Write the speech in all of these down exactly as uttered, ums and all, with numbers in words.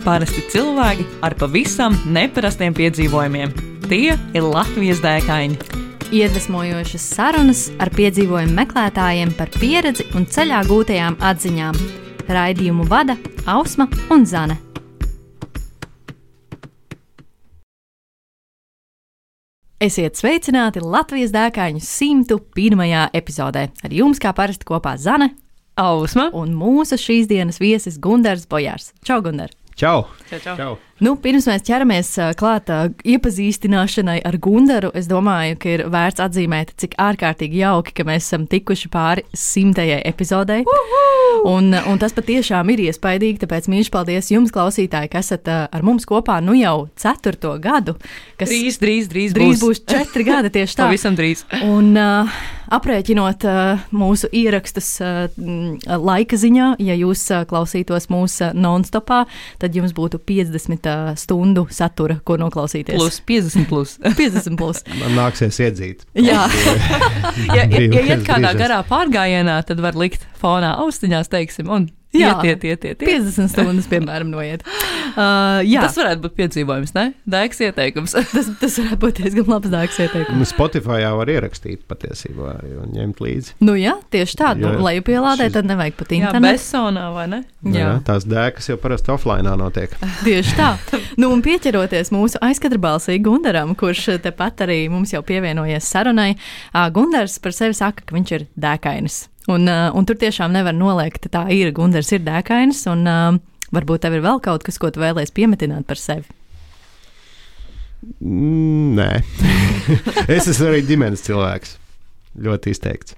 Parasti cilvēki ar pavisam neparastiem piedzīvojumiem. Tie ir Latvijas dēkaini. Iedvesmojošas sarunas ar piedzīvojumu meklētājiem par pieredzi un ceļā gūtajām atziņām. Raidījumu vada Ausma un Zane. Esiet sveicināti Latvijas dēkaņu simtu pirmajā epizodē. Ar jums kā parasti kopā Zane, Ausma un mūsu šīs dienas viesis Gundars Bojārs. Čau, Gundar! Čau! Čau, čau. Čau. Nu, pirms mēs ķeramies klāt iepazīstināšanai ar Gundaru, es domāju, ka ir vērts atzīmēt, cik ārkārtīgi jauki, ka mēs esam tikuši pāri simtajai epizodei. Un, un tas patiešām ir iespaidīgi, tāpēc mīļš paldies jums, klausītāji, ka esat ar mums kopā nu jau ceturto gadu. Kas Drīz, drīz, drīz, drīz būs. būs četri gadi tieši tā. Pavisam drīz. Un uh, aprēķinot uh, mūsu ierakstus uh, laika ziņā, ja jūs uh, klausītos mūsu non-stopā, tad jums būtu piecdesmit uh, stundu satura, ko noklausīties. Plus, piecdesmit plus. piecdesmit plus. Man nāksies iedzīt. Jā. ja, ja, ja iet kādā Brīžos. garā pārgājienā, tad var likt fonā austiņās, teiksim, un Jā. iet, iet, iet, iet, iet. piecdesmit stundas, piemēram, noiet. Uh, jā, Tas varētu būt piedzīvojums, ne? Dēks ieteikums. tas, tas varētu būt diezgan labs dāks ieteikums. Nu, Spotify jau var ierakstīt patiesībā un ņemt līdzi. Nu jā, tieši tā. Nu, Jā, lai pielādē, šis- tad nevajag pat Jā, internetu. Bessonā, vai ne? Nu, jā, tās dēkas jau parasti offline notiek. Tieši tā. Nu, un pieķeroties mūsu aizkadra balsī Gundaram, kurš tepat arī mums jau pievienojies sarunai, ā, Gundars par sevi saka, ka viņš ir dēkainis. Un, ā, un tur tiešām nevar noliegt, tā ir. Gundars ir dēkainis, un ā, varbūt tev ir vēl kaut kas, ko tu vēlies piemetināt par sevi. Mm, nē. Es esmu arī ģimenes cilvēks. Ļoti izteikts.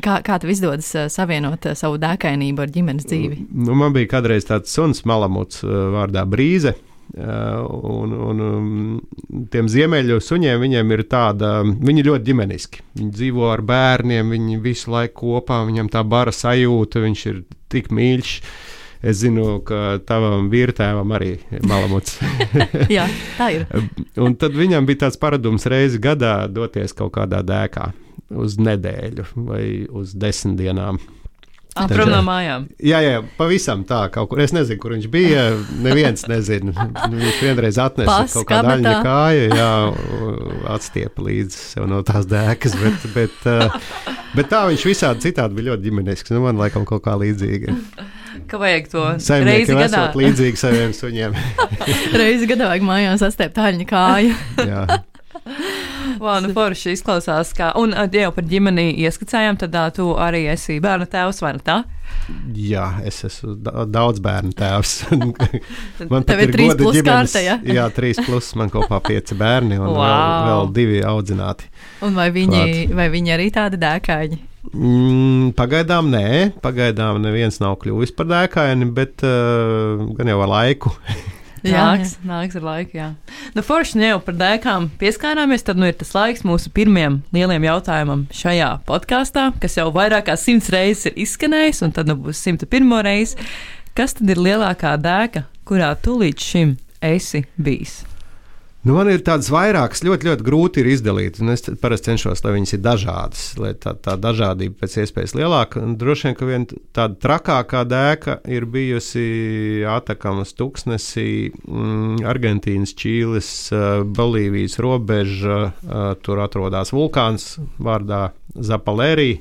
Kā, kā tev izdodas ā, savienot ā, savu dēkainību ar ģimenes dzīvi? Nu, man bija kādreiz tāds suns malamuts uh, vārdā Brīze. Uh, un, un um, tiem ziemeļu suņiem viņiem ir tāda, viņi ļoti ģimeniski. Viņi dzīvo ar bērniem, viņi visu laiku kopā, viņam tā bara sajūta, viņš ir tik mīļš. Es zinu, ka tavam vīrtēvam arī ir malamuts. Jā, tā ir. Un tad viņam bija tāds paradums reizi gadā doties kaut kādā dēkā uz nedēļu vai uz desmit dienām. Prom no mājām. Jā, jā, pavisam tā kaut kur. Es nezinu, kur viņš bija. Neviens nezina. Viņš vienreiz atnesa Pas, kaut kādu kabatā. aļņa kāju, jā, atstiepa līdzi sev no tās dēkas, bet, bet, uh, bet tā viņš visādi citādi bija ļoti ģimenisks. Nu, man laikam kaut kā līdzīga. Ka vajag to reizi Saimniekiem gadā. esot līdzīgi saviem suņiem. Reizi gadā vajag mājās sastiept aļņa kāju. Jā. Vau, nu forši izklausās, kā, un ā, ja jau par ģimeni ieskicējām, tad ā, tu arī esi bērnu tēvs, vai ne tā? Jā, es esmu da- daudz bērnu tēvs. Man Tev pat ir trīs goda plus ģimenes- kārta, ja? Jā, trīs plus, man kopā pieci bērni un Wow. vēl, vēl divi audzināti. Un vai viņi, Klāt. vai viņi arī tādi dēkaini? Mm, pagaidām nē, pagaidām neviens nav kļuvis par dēkaini, bet uh, gan jau ar laiku. Nāks, nāks ar laiku, jā. Nu, forši, nu jau par dēkām pieskārāmies, tad nu ir tas laiks mūsu pirmiem lieliem jautājumam šajā podkāstā, kas jau vairāk kā simts reizes ir izskanējis, un tad nu būs simta pirmo reizi. Kas tad ir lielākā dēka, kurā tu līdz šim esi bijis? Nu, man ir tādas vairākas, ļoti, ļoti grūti ir izdalīt, un es parasti cenšos, lai viņas ir dažādas, lai tā, tā dažādība pēc iespējas lielāka. Un droši vien, ka viena tāda trakākā dēka ir bijusi Atakamas tuksnesī, mm, Argentīnas, Čīles, uh, Bolīvijas robeža, uh, tur atrodas vulkāns vārdā Zapalērī.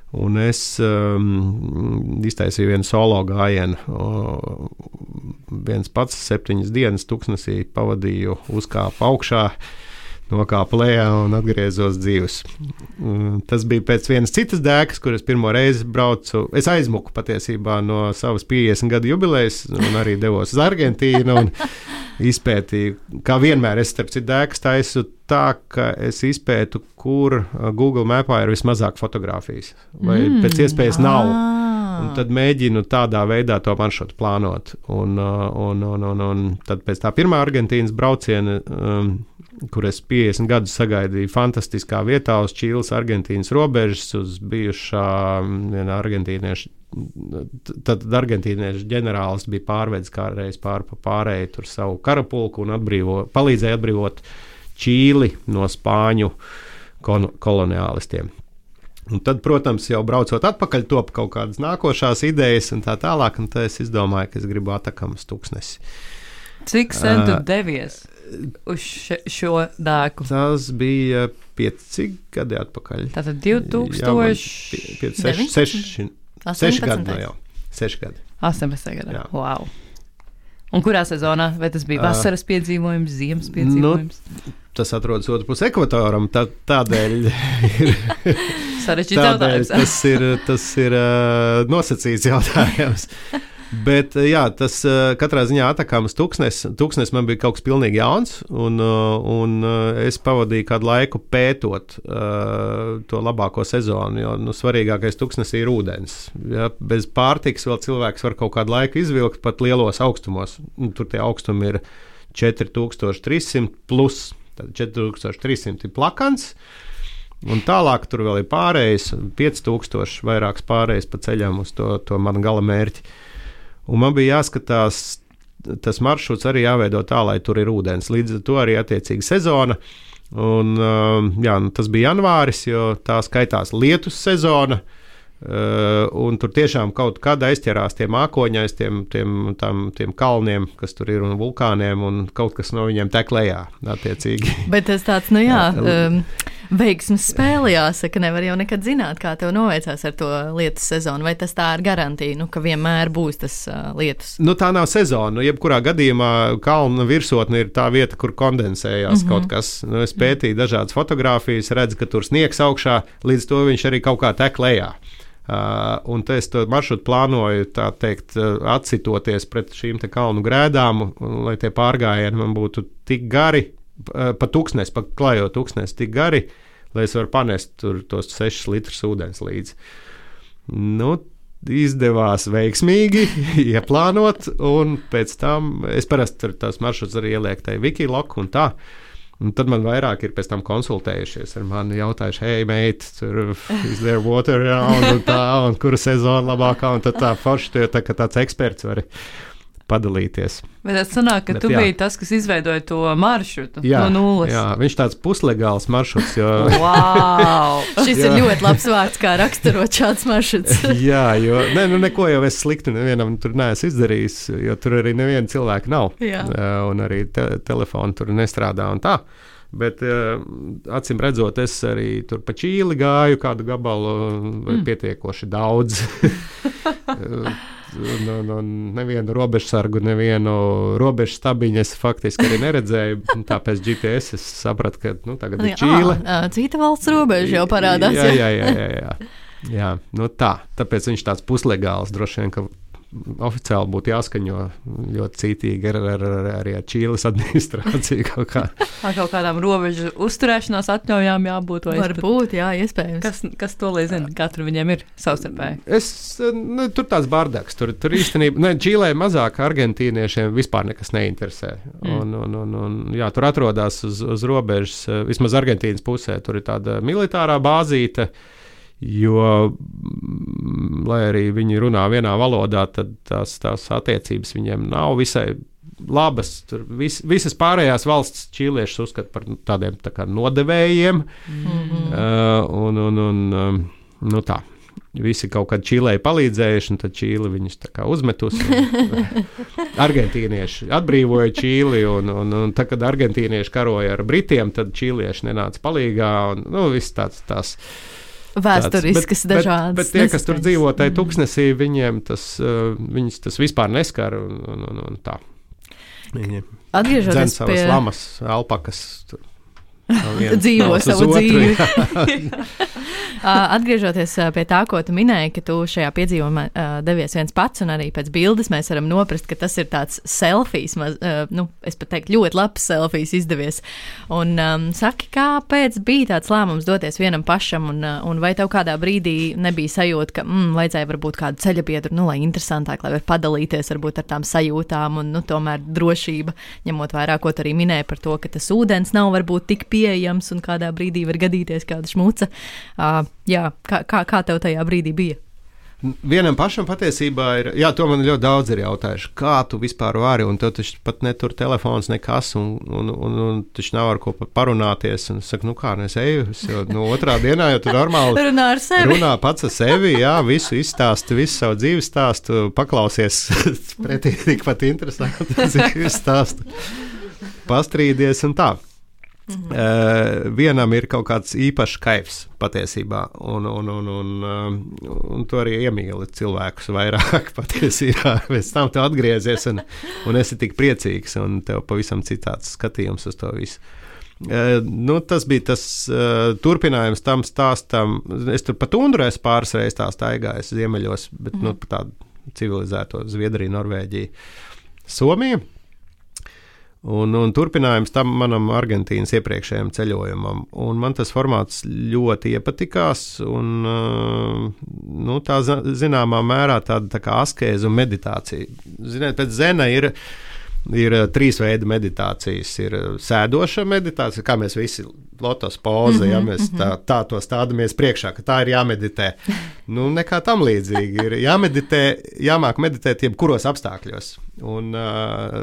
Un es um, iztaisīju vienu solo gājienu. O, viens pats septiņas dienas tuksnesī pavadīju, uzkāpu augšā, nokāpu lejā un atgriezos dzīvs. Um, tas bija pēc vienas citas dēkas, kuras pirmo reizi braucu. Es aizmuku patiesībā no savas piecdesmit gadu jubilejas un arī devos uz Argentīnu un izpētīju, kā vienmēr es starp citu dēkas taisu tā, ka es izpētu, kur Google Mapā ir vismazāk fotografijas, vai mm, pēc iespējas nav. Un tad mēģinu tādā veidā to maršrutu plānot. Un, un, un, un, un tad pēc tā pirmā Argentīnas brauciena, um, kur es piecdesmit gadus sagaidīju fantastiskā vietā uz Čīles, Argentīnas robežas, uz bijušā viena argentīnieša. Tad argentīniešu ģenerālis bija pārvedis kādreiz pār pa pārēju tur savu karapulku un atbrīvo, palīdzēja atbrīvot Čīli no spāņu koloniālistiem. Un tad, protams, jau braucot atpakaļ, top kaut kādas nākošās idejas un tā tālāk, un tad es izdomāju, ka es gribu Atakamas tuksnesi. Cik sen tu devies uz še, šo dēku? Tas bija pieci gadi atpakaļ. Tātad divtūkstoši seši gadi no jau. Seši gadi. astoņpadsmit gadi. Wow. Un kurā sezonā? Vai tas bija vasaras piedzīvojums, ziemas piedzīvojums? Nu, tas atrodas otrpus ekvatoram, tā, tādēļ ir sarežģīts jautājums. Tas ir, tas ir uh, nosacīts jautājums. Bet, jā, tas uh, katrā ziņā Atakamas tuksnes, tuksnes man bija kaut kas pilnīgi jauns, un, uh, un uh, es pavadīju kādu laiku pētot uh, to labāko sezonu, jo nu, svarīgākais tuksnesī ir ūdens. Ja, bez pārtikas vēl cilvēks var kaut kādu laiku izvilkt pat lielos augstumos. Tur tie augstumi ir četri tūkstoši trīs simti plus, tad četri tūkstoši trīs simti ir plakans. Un tālāk tur vēl ir pārējais, pieci tūkstoši vairāks pārējais pa ceļam uz to, to manu gala mērķi. Un man bija jāskatās, tas maršruts arī jāveido tā, lai tur ir ūdens. Līdz ar to arī attiecīgi sezona. Un, jā, tas bija janvāris, jo tā skaitās lietus sezona. Un tur tiešām kaut kad aizķerās tie mākoņi aiz tiem, tiem, tam, tiem kalniem, kas tur ir, un vulkāniem, un kaut kas no viņiem tek lejā, attiecīgi. Bet tas tāds, nu jā, um, veiksmes spēle jāsaka, nevar jau nekad zināt, kā tev noveicās ar to lietus sezonu, vai tas tā ir garantija, nu, ka vienmēr būs tas uh, lietus? Nu, tā nav sezona, nu, jebkurā gadījumā kalna virsotne ir tā vieta, kur kondensējās mm-hmm. kaut kas. Nu, es pētīju dažādas fotogrāfijas, redzu, ka tur sniegs augšā, līdz to viņš arī kaut kā tek lejā. Uh, un es to maršrutu plānoju, tā teikt, uh, atsitoties pret šīm te kalnu grēdām, un, lai tie pārgājieni man būtu tik gari, uh, pa tuksnes, pa klajo tuksnes tik gari, lai es varu panest tur tos sešus litrus ūdens līdzi. Nu, izdevās veiksmīgi ieplānot, un pēc tam es parasti tur tās maršruts arī ieliek tai Wikiloc un tā. Un tad man vairāk ir pēc tam konsultējušies ar mani, jautājuši, hei, mate, tur is there water around un tā, un kura sezona labākā, un tad tā forši, tu jau tā, ka tāds eksperts vari padalīties. Bet tas sanāk, ka Bet, tu jā. biji tas, kas izveidoja to maršrutu jā, no nulles. Jā, viņš tāds puslegāls maršruts, jo... Wow! Šis ir ļoti labs vārds, kā raksturot šāds maršruts. Jā, jo ne, nu, neko jau es slikti nevienam tur neesmu izdarījis, jo tur arī neviena cilvēka nav. Jā. Un arī te, telefoni tur nestrādā un tā. Bet acīm redzot, es arī tur pa Čīli gāju kādu gabalu vai mm. pietiekoši daudz. No, no, nevienu robežsargu, nevienu robežu stabiņu es faktiski arī neredzēju. Tāpēc G P S es sapratu, ka nu, tagad ir Čīle. À, cita valsts robeža jau parādās. Jā, jā, jā, jā, jā. jā nu tā, tāpēc viņš tāds puslegāls droši vien, ka oficiāli būtu jāskaņo ļoti cītīgi ar, ar, ar, arī ar Čīles administrāciju kaut kā. Ar kaut kādām robežu uzturēšanās atļaujām jābūt. Varbūt, jā, iespējams. Kas, kas to lai zina? Kā tur viņiem ir savstarpēji? Es, nu, tur tāds bardaks. Tur, tur īstenībā, ne, Čīlē mazāk argentīniešiem vispār nekas neinteresē. Mm. Un, un, un, un, jā, tur atrodas uz, uz robežas, vismaz Argentīnas pusē, tur ir tāda militārā bāzīte. Jo, lai arī viņi runā vienā valodā, tad tās, tās attiecības viņiem nav visai labas. Tur vis, visas pārējās valsts čīliešus uzskata par tādiem tā kā nodevējiem. Mm-hmm. Uh, un, un, un, um, nu tā, visi kaut kad Čīlei palīdzējuši, un tad Čīli viņus tā kā uzmetusi. Argentīnieši atbrīvoja Čīli, un, un, un tad, kad argentīnieši karoja ar Britiem, tad čīlieši nenāca palīgā, un nu, viss tāds tās. Vēsturiskas bet, dažādas. Bet, bet tie, kas tur dzīvo tajā tuksnesī, viņiem tas, uh, viņus tas vispār neskar un, un, un, un tā. Viņi atgriežoties savas pie... lamas, alpakas tur. Dzīvo savu dzīvi. Atgriežoties pie tā, ko tu minēji, ka tu šajā piedzīvumā devies viens pats, un arī pēc bildes mēs varam noprast, ka tas ir tāds selfijs, maz, nu, es pat teiktu, ļoti labs selfijs izdevies. Un um, saki, kāpēc bija tāds lēmums doties vienam pašam, un, un vai tev kādā brīdī nebija sajūta, ka mm, vajadzēja varbūt kādu ceļabiedru, nu, lai interesantāk, lai var padalīties varbūt ar tām sajūtām, un, nu, tomēr drošība, ņemot vairāk, ko tu arī minēji par to, ka tas ūdens nav varbūt tik pieejams un kādā brīdī var gadīties kāda šmuca. Uh, jā, kā, kā, kā tev tajā brīdī bija? Vienam pašam patiesībā ir, jā, to man ļoti daudz ir jautājuši, kā tu vispār vari, un tev taču pat netur telefons nekas, un, un, un, un taču nav ar ko parunāties, un es saku, nu kā, nu es eju, es jau, nu otrā dienā jau tu normāli runā ar sevi. Runā pats ar sevi, jā, visu izstāstu, visu savu dzīves stāstu, paklausies pretī tikpat interesanti, cik visu stāstu, pastrīdies un tā. Mm-hmm. Uh, vienam ir kaut kāds īpašs kaifs patiesībā, un, un, un, un, um, un tu arī iemīli cilvēkus vairāk patiesībā. Pēc tam tu atgriezies un, un esi tik priecīgs, un tev pavisam citāds skatījums uz to visu. Uh, nu, tas bija tas uh, turpinājums tam stāstam. Es tur pat undurēs pāris reizes tā staigāju ziemeļos, bet mm-hmm. nu, tādu civilizēto Zviedriju, Norvēģiju, Somiju. Un, un turpinājums tam manam Argentīnas iepriekšējam ceļojumam. Un man tas formāts ļoti iepatikās, un nu, tā zināmā mērā tāda tā kā askēza un meditācija. Ziniet, pēc zena ir, ir trīs veidi meditācijas. Ir sēdoša meditācija, kā mēs visi lotos poze, mm-hmm, ja mēs tā, tā to stādamies priekšā, ka tā ir jāmeditē. Nu, nekā tam līdzīgi. Ir jāmeditē, jāmāk meditēt jebkuros apstākļos. Un uh,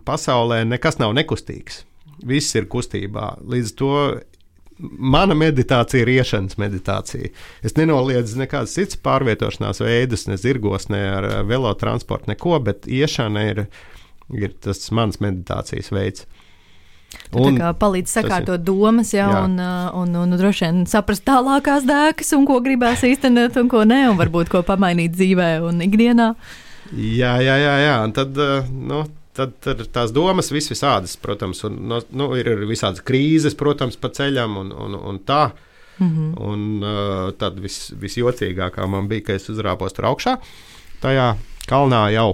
pasaulē nekas nav nekustīgs. Viss ir kustībā. Līdz to mana meditācija ir iešanas meditācija. Es nenoliedzu nekādas citas pārvietošanās veidus, ne zirgos, ne ar velotransportu, neko, bet iešana ir, ir tas mans meditācijas veids. Un, tā kā palīdz sakārtot domas, jā, jā. Un, un, un, un droši vien saprast tālākās dēkas, un ko gribās īstenot, un ko ne, un varbūt ko pamainīt dzīvē un ikdienā. Jā, jā, jā, jā. Un tad, nu, tad, tad tās domas vis visādas, protams, un nu, ir visādas krīzes, protams, pa ceļam un, un, un tā. Mm-hmm. Un uh, tad vis, visjocīgākā man bija, ka es uzrāpos tur augšā, tajā kalnā jau.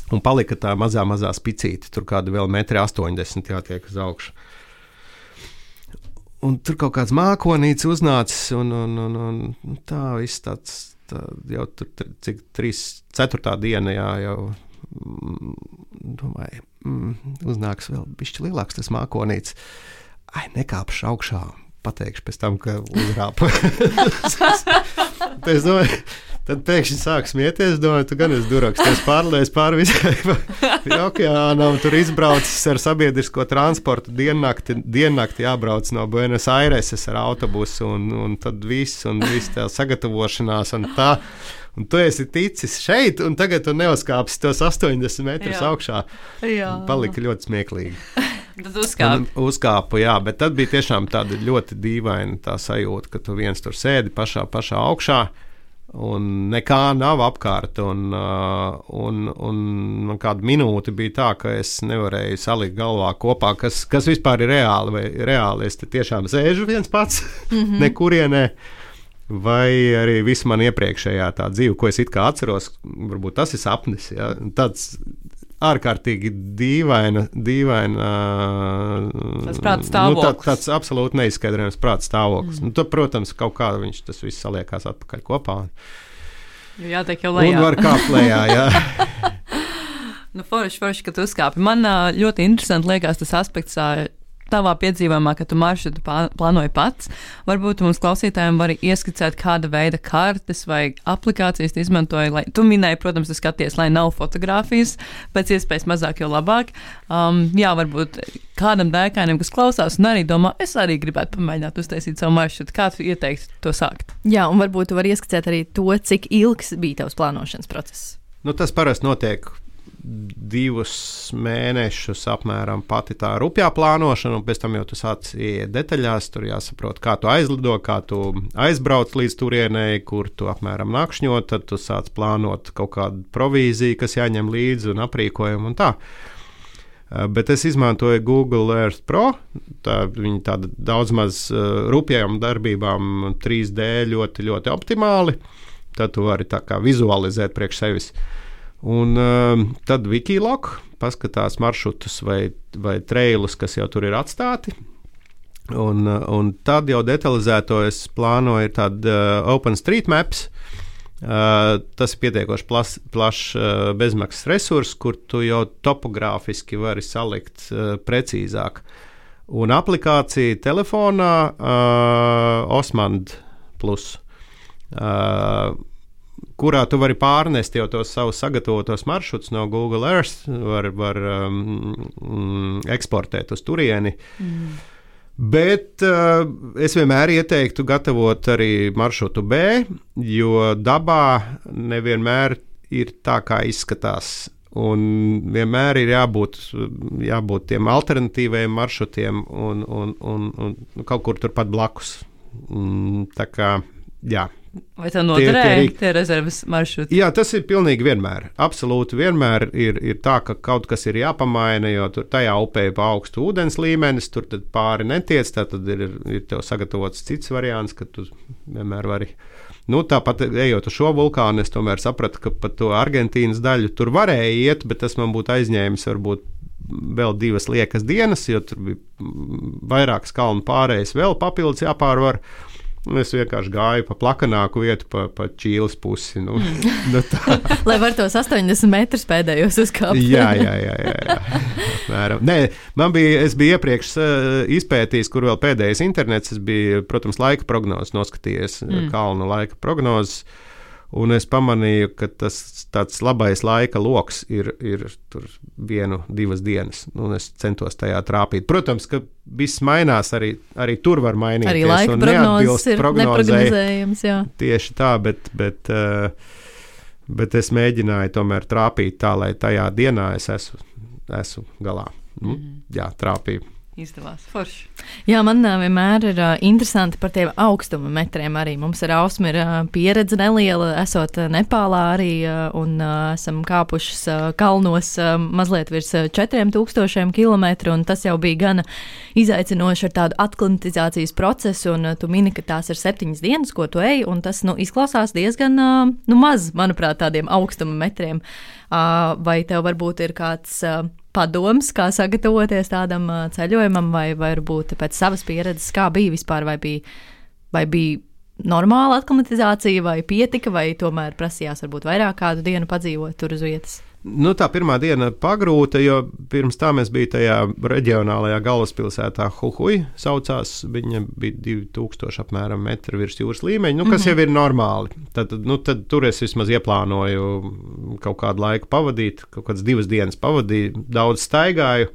Un palika tā mazā, mazā spicīte, tur kāda vēl metri astoņdesmit jātiek uz augšu. Un tur kaut kāds mākonīts uznācis, un, un, un, un tā viss tāds, tā, jau tur cik trīs, ceturtā diena, jā, jau, domāju, mm, uznāks vēl bišķi lielāks tas mākonīts. Ai, nekāpšu augšā, pateikšu pēc tam, ka uzrāpa. Es domāju, tad pēkšņi sāk smieties, domāju, tu gan esi duraks, tu esi pārlies pāri visai okeānam, tur izbraucis ar sabiedrisko transportu, diennakti, diennakti jābrauc no Buenos Aireses ar autobusu, un, un tad viss, un viss tā sagatavošanās, un tā, un tu esi ticis šeit, un tagad tu neuzkāpsi tos astoņdesmit metrus jā. Augšā. Jā. Palika ļoti smieklīgi. Tad uzkāpu. Uzkāpu, jā, bet tad bija tiešām tāda ļoti dīvaina tā sajūta, ka tu viens tur sēdi pašā, pašā augšā, un nekā nav apkārt, un, un, un kādu minūti bija tā, ka es nevarēju salikt galvā kopā, kas, kas vispār ir reāli, vai reāli es te tiešām sēžu viens pats, mm-hmm. nekurienē, vai arī visu man iepriekšējā tā dzīve, ko es it kā atceros, varbūt tas ir sapnis, ja? Tāds ārkārtīgi dīvaina, dīvaina tas prāta stāvoklis. Nu, tā, tāds absolūti neizskaidrojams prāta stāvoklis. Mm. Nu, tad, protams, kaut kā viņš tas viss saliekās atpakaļ kopā. Jo jātiek jau lejā. Un var kāpt lejā, jā. Nu, forši, forši, ka tu uzkāpi. Man ļoti interesanti liekas tas aspekts tavā piedzīvojumā, ka tu maršrutu plānoji pats. Varbūt mums klausītājiem var ieskicēt, kāda veida kartes vai aplikācijas tu izmantoji. Lai, tu minēji, protams, tu skaties, lai nav fotogrāfijas, pēc iespējas mazāk, jo labāk. Um, jā, varbūt kādam dēkainam, kas klausās un arī domā, es arī gribētu pamēģināt uztaisīt savu maršrutu. Kā tu ieteiktu to sākt? Jā, un varbūt tu vari ieskicēt arī to, cik ilgs bija tavs plānošanas process. Nu, tas parasti notiek divus mēnešus apmēram pati tā rupjā plānošana, un pēc tam jau tu sāc ieiet detaļās, tur jāsaprot, kā tu aizlido, kā tu aizbrauc līdz turienei, kur tu apmēram nakšņot, tad tu sāc plānot kaut kādu provīziju, kas jāņem līdzi un aprīkojumu un tā. Bet es izmantoju Google Earth Pro, tā, viņi tāda daudz maz uh, rupjām darbībām trīs D ļoti, ļoti optimāli, tad tu vari tā kā vizualizēt priekš sevis. Un uh, tad Wikiloc paskatās maršrutus vai, vai trailus, kas jau tur ir atstāti. Un, uh, un tad jau detalizēto es plānoju tādu uh, OpenStreetMaps. Uh, tas ir pietiekoši plašs plaš, uh, bezmaksas resurs, kur tu jau topogrāfiski vari salikt uh, precīzāk. Un aplikācija telefonā uh, Osmand Plus. Uh, kurā tu vari pārnest jau tos savus sagatavotos maršrutus no Google Earth, var, var um, eksportēt uz turieni. Mm. Bet uh, es vienmēr ieteiktu gatavot arī maršrutu B, jo dabā nevienmēr ir tā, kā izskatās. Un vienmēr ir jābūt, jābūt tiem alternatīviem maršrutiem un, un, un, un kaut kur turpat blakus. Tā kā, jā. Vai tev noderēja tie rezerves maršruti? Jā, tas ir pilnīgi vienmēr. Absolūti vienmēr ir, ir tā, ka kaut kas ir jāpamaina, jo tur tajā upē ir pa augstu ūdens līmenis, tur tad pāri netiec, tad ir, ir tev sagatavots cits variants, ka tu vienmēr vari. Nu, tāpat ejot uz šo vulkānu, es tomēr sapratu, ka pat to Argentīnas daļu tur varēja iet, bet tas man būtu aizņēmis varbūt vēl divas liekas dienas, jo tur bija vairākas kalnu pārējas vēl papildus jāpārvar. Es vienkārši gāju pa plakanāku vietu, pa, pa Čīles pusi. Nu, nu tā. Lai var tos astoņdesmit metrus pēdējos uzkāpt. jā, jā, jā. jā, jā. Mēram. Nē, man bija, es biju iepriekš uh, izpētījis, kur vēl pēdējais internets. Es biju, protams, laika prognozes noskatījies, mm. kalnu laika prognozes. Un es pamanīju, ka tas tāds labais laika loks ir, ir tur vienu, divas dienas. Un es centos tajā trāpīt. Protams, ka viss mainās, arī, arī tur var mainīties. Arī laika prognozes ir neprognozējams, jā. Tieši tā, bet, bet, bet es mēģināju tomēr trāpīt tā, lai tajā dienā es esmu, esmu galā. Mm-hmm. Jā, trāpīju. Izdevās forši. Jā, man uh, vienmēr ir uh, interesanti par tiem augstuma metriem arī. Mums ar Ausmu ir uh, pieredze neliela, esot uh, Nepālā arī, uh, un uh, esam kāpušas uh, kalnos uh, mazliet virs uh, četriem tūkstošiem kilometru, un tas jau bija gana izaicinoši ar tādu aklimatizācijas procesu, un uh, tu mini, ka tās ir septiņas dienas, ko tu ej, un tas, nu, izklausās diezgan, uh, nu, maz, manuprāt, tādiem augstuma metriem. Uh, vai tev varbūt ir kāds uh, padoms, kā sagatavoties tādam uh, ceļojumam, vai varbūt pēc savas pieredzes, kā bija vispār, vai bija, vai bija normāla aklimatizācija, vai pietika, vai tomēr prasījās varbūt vairāk kādu dienu padzīvot tur uz vietas? Nu, tā pirmā diena pagrūta, jo pirms tā mēs bija tajā reģionālajā galvaspilsētā Huhuj, saucās, viņa bija divi tūkstoši apmēram metri virs jūras līmeņa, nu, kas mm-hmm. jau ir normāli. Tad, nu, tad tur es vismaz ieplānoju kaut kādu laiku pavadīt, kaut kādas divas dienas pavadīju, daudz staigāju,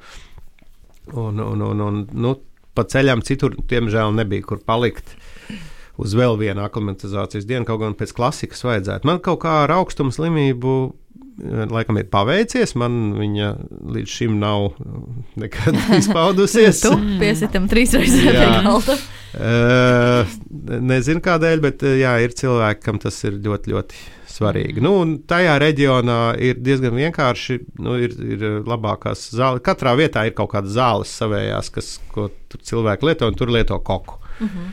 un, un, un, un nu, pa ceļām citur, tiemžēl, nebija kur palikt uz vēl vienu aklimatizācijas dienu, kaut gan pēc klasikas vajadzētu. Man kaut kā ar augstuma slimību laikam ir paveicies, man viņa līdz šim nav nekad izpaudusies. Tu piesitam trīsreiz pie galda. Uh, nezinu kādēļ, bet jā, ir cilvēki, kam tas ir ļoti, ļoti svarīgi. Nu, un tajā reģionā ir diezgan vienkārši, nu, ir, ir labākās zāles. Katrā vietā ir kaut kādas zāles savējās, kas, ko tur cilvēki lieto, un tur lieto koku. Uh-huh.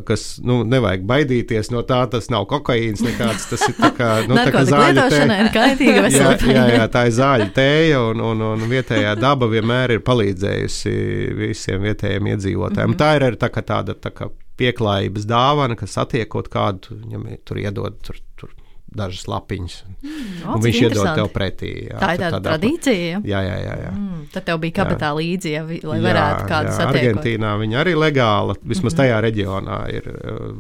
Kas, nu, nevajag baidīties no tā, tas nav kokaīns nekāds, tas ir tā kā, nu, tā kā zāļu tēja. Ir kaitīga veselība. Jā, jā, tā ir zāļu tēja, un, un, un vietējā daba vienmēr ir palīdzējusi visiem vietējiem iedzīvotājiem. Mm-hmm. Tā ir arī tā kā tāda tā kā pieklājības dāvana, kas satiekot kādu, viņam tur iedod tur, tur dažas lapiņas, mm, un viņš iedod tev pretī. Jā, tā ir tāda tradīcija, jā? Jā, jā, jā. Mm, tad tev bija kabatā līdzi, ja, lai varētu jā, kādu jā, satiekot. Argentīnā viņa arī legāla, vismaz mm-hmm. tajā reģionā ir,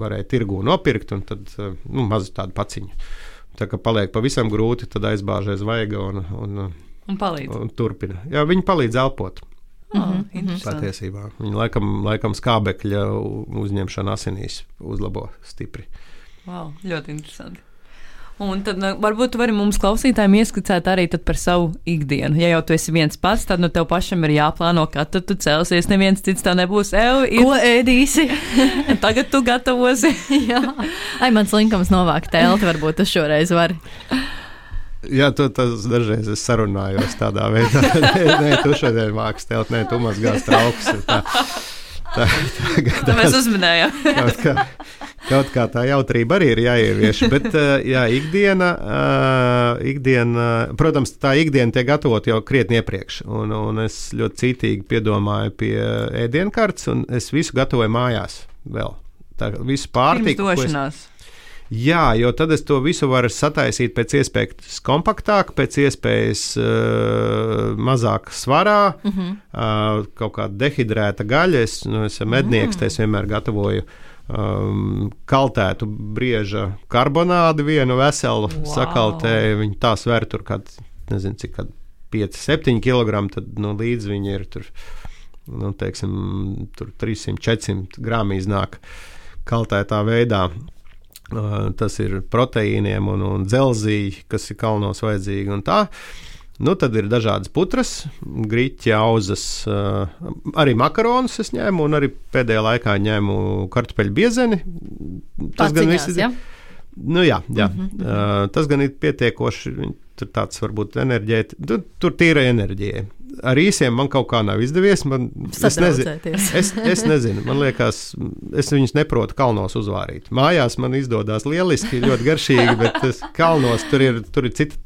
varēja tirgū nopirkt, un tad, nu, maz tādu paciņu. Tā kā paliek pavisam grūti, tad aizbāžais vaiga un, un, un, un turpina. Jā, viņi palīdz elpot. Mm-hmm. Patiesībā. Viņa laikam, laikam skābekļa uzņemšana asinīs uzlabo stipri. Wow, ļoti interesanti. Un tad nu, varbūt tu vari mums klausītājiem ieskicēt arī par savu ikdienu. Ja jau tu esi viens pats, tad nu tev pašam ir jāplāno, kad tu celsies, neviens cits tā nebūs. Ev, ir... Ko ēdīsi? Tagad tu gatavosi. Jā. Ai, mans linkams novākt telti, varbūt tu šoreiz vari. Jā, tu tas dažreiz es sarunājos tādā veidā. nē, nē, tu šodien māks telti, nē, tu mazgās trauks. Tā, tā, tā, tā mēs uzminējām. Kaut kā, kaut kā tā jautrība arī ir jāievieš, bet jā, ikdiena, ikdiena, protams, tā ikdiena tiek gatavot jau krietni iepriekš, un, un es ļoti cītīgi piedomāju pie ēdienkartes, un es visu gatavoju mājās vēl. Tā visu pārtiku. Pirms došanās. Jā, jo tad es to visu varu sataisīt pēc iespējas kompaktāk, pēc iespējas uh, mazāk svarā, uh-huh. uh, kaut kāda dehidrēta gaļa. Es, nu, esmu mednieks, mm. es vienmēr gatavoju um, kaltētu brieža karbonādu vienu veselu wow. sakaltēju. Viņi tā sver tur kād, nezinu, cik kād pieci septiņi kilogrami, tad nu, līdz viņi ir tur, nu, teiksim, tur trīsimt četrsimt grami iznāk kaltētā veidā. Uh, tas ir proteīniem un, un dzelzī, kas ir kalnos vajadzīgi un tā. Nu, tad ir dažādas putras, griķi, auzas, uh, arī makaronus es ņēmu un arī pēdējā laikā ņēmu kartupeļu biezeni. Tas gan viss ir. Ja? Nu jā, jā. Mm-hmm. Uh, tas gan ir pietiekoši, tur tāds varbūt enerģēti, tur, tur tīra enerģija. Ar īsiem man kaut kā nav izdevies. Man, es, nezinu, es, es nezinu, man liekas, es viņus neprotu kalnos uzvārīt. Mājās man izdodas lieliski, ļoti garšīgi, bet es, kalnos tur ir, tur ir cita,